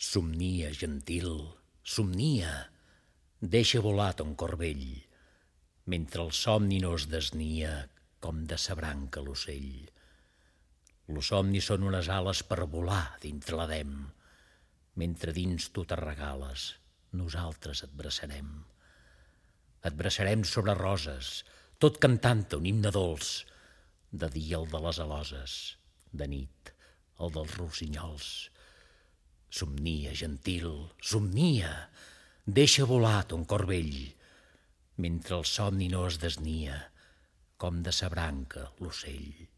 Somnia, gentil, somnia, deixa volar ton cor vell, mentre el somni no es desnia com de sa branca l'ocell. Los somnis són unes ales per volar dintre l'Edem. Mentre dins tu te regales, nosaltres et braçarem. Et braçarem sobre roses, tot cantant un himne dolç. De dia el de les aloses, de nit el dels rossinyols. Somnia, gentil, somnia, deixa volar ton cor vell, mentre el somni no es desnia com de sa branca l'ocell.